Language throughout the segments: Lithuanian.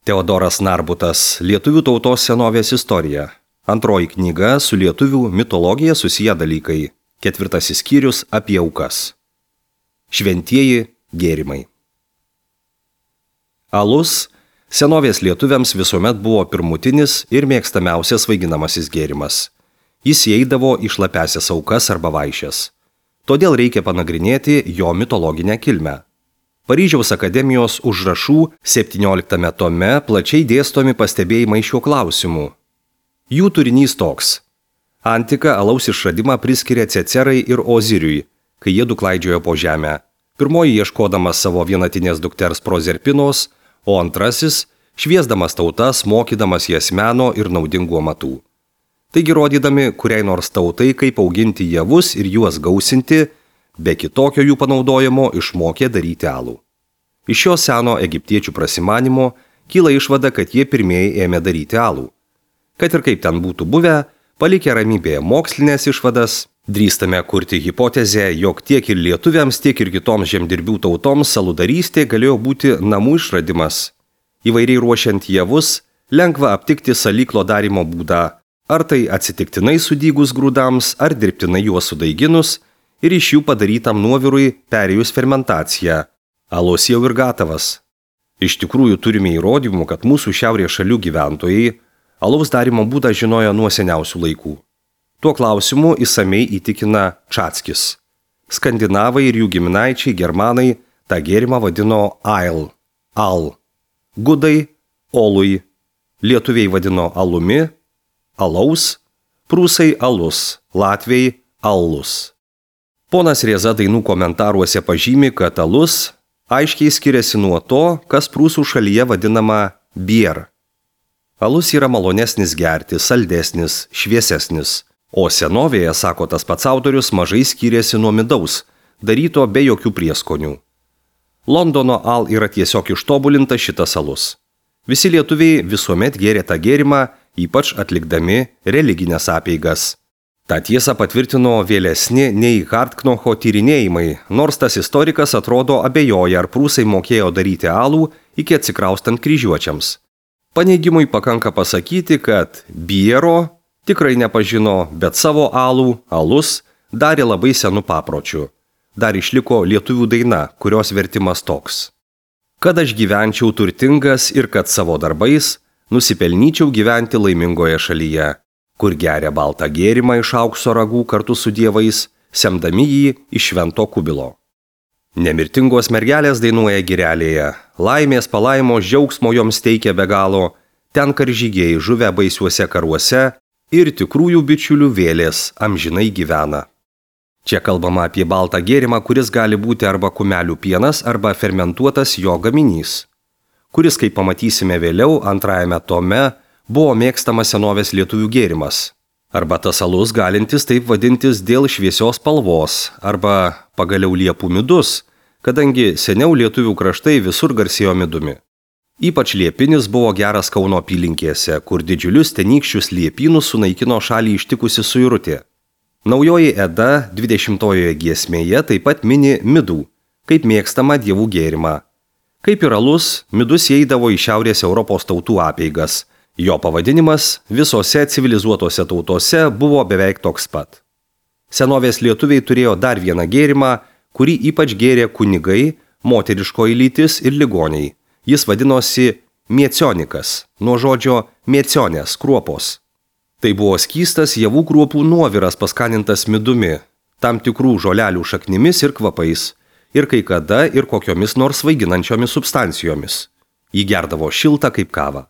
Teodoras Narbutas, Lietuvių tautos senovės istorija. Antroji knyga su lietuvių mitologija susiję dalykai. 4 skyrius apie aukas. Šventieji gėrimai. Alus senovės lietuviams visuomet buvo pirmutinis ir mėgstamiausias svaiginamasis gėrimas. Jis įeidavo į šlapiąsias aukas arba vaišes. Todėl reikia panagrinėti jo mitologinę kilmę. Paryžiaus akademijos užrašų 17 tome plačiai dėstomi pastebėjimai šiuo klausimu. Jų turinys toks. Antika alaus išradimą priskiria Cecerai ir Oziriui, kai jie du klaidžiojo po žemę. Pirmoji ieškodamas savo vienatinės dukters Prozerpinos, o antrasis šviesdamas tautas, mokydamas jas meno ir naudingų amatų. Taigi rodydami kuriai nors tautai, kaip auginti javus ir juos gausinti, be kitokio jų panaudojimo išmokė daryti alų. Iš šio seno egiptiečių prasimanimo kyla išvada, kad jie pirmieji ėmė daryti alų. Kad ir kaip ten būtų buvę, palikę ramybėje mokslinės išvadas, drįstame kurti hipotezę, jog tiek ir lietuviams, tiek ir kitoms žemdirbių tautoms saludarystė galėjo būti namų išradimas. Įvairiai ruošiant javus, lengva aptikti salyklo darymo būdą, ar tai atsitiktinai sudygus grūdams, ar dirbtinai juos sudaiginus, ir iš jų padarytam nuovirui perėjus fermentaciją. Alus jau ir gatavas. Iš tikrųjų turime įrodymų, kad mūsų šiaurės šalių gyventojai alaus darimo būdą žinojo nuo seniausių laikų. Tuo klausimu išsamei įtikina Čatskis. Skandinavai ir jų giminaičiai germanai tą gėrimą vadino ail, al. Gudai olui, lietuviai vadino alumi, alaus, prūsai alus, latviai allus. Ponas Rieza dainų komentaruose pažymi, kad alus aiškiai skiriasi nuo to, kas prūsų šalyje vadinama bier. Alus yra malonesnis gerti, saldesnis, šviesesnis, o senovėje, sako tas pats autorius, mažai skiriasi nuo midaus, daryto be jokių prieskonių. Londono al yra tiesiog ištobulinta šitas alus. Visi lietuviai visuomet gėrė tą gėrimą, ypač atlikdami religinės apeigas. Ta tiesa patvirtino vėlesni nei Hartknocho tyrinėjimai, nors tas istorikas atrodo abejoja, ar prūsai mokėjo daryti alų iki atsikraustant kryžiuočiams. Paneigimui pakanka pasakyti, kad biero tikrai nepažino, bet savo alų, alus, darė labai senų papročių. Dar išliko lietuvių daina, kurios vertimas toks. Kad aš gyvenčiau turtingas ir kad savo darbais nusipelnyčiau gyventi laimingoje šalyje, kur geria baltą gėrimą iš aukso ragų kartu su dievais, semdami jį iš švento kubilo. Nemirtingos mergelės dainuoja girelėje, laimės palaimos džiaugsmo joms teikia be galo, ten karžygiai žuvę baisiuose karuose ir tikrųjų bičiulių vėlės amžinai gyvena. Čia kalbama apie baltą gėrimą, kuris gali būti arba kumelių pienas, arba fermentuotas jo gaminys, kuris, kaip pamatysime vėliau, 2 tome, buvo mėgstamas senovės lietuvių gėrimas. Arba tas alus galintis taip vadintis dėl šviesios spalvos, arba pagaliau liepų midus, kadangi seniau lietuvių kraštai visur garsėjo midumi. Ypač liepinis buvo geras Kauno apylinkėse, kur didžiulius tenykščius liepynus sunaikino šalį ištikusi suirutė. Naujoji Eda 20-ojoje giesmėje taip pat mini midų, kaip mėgstamą dievų gėrimą. Kaip ir alus, midus įeidavo į Šiaurės Europos tautų apeigas. Jo pavadinimas visose civilizuotose tautose buvo beveik toks pat. Senovės lietuviai turėjo dar vieną gėrimą, kurį ypač gėrė kunigai, moteriškoji lytis ir ligoniai. Jis vadinosi miecionikas, nuo žodžio miecionės, kruopos. Tai buvo skystas javų kruopų nuoviras paskanintas midumi, tam tikrų žolelių šaknimis ir kvapais, ir kai kada ir kokiomis nors svaiginančiomis substancijomis. Jį gerdavo šiltą kaip kavą.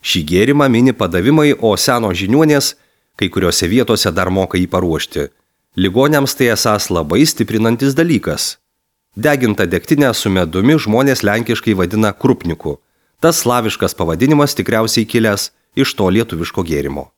Šį gėrimą mini padavimai, o seno žiniuonės kai kuriuose vietose dar moka jį paruošti. Ligoniams tai esąs labai stiprinantis dalykas. Degintą degtinę su medumi žmonės lenkiškai vadina krupniku. Tas slaviškas pavadinimas tikriausiai kilęs iš to lietuviško gėrimo.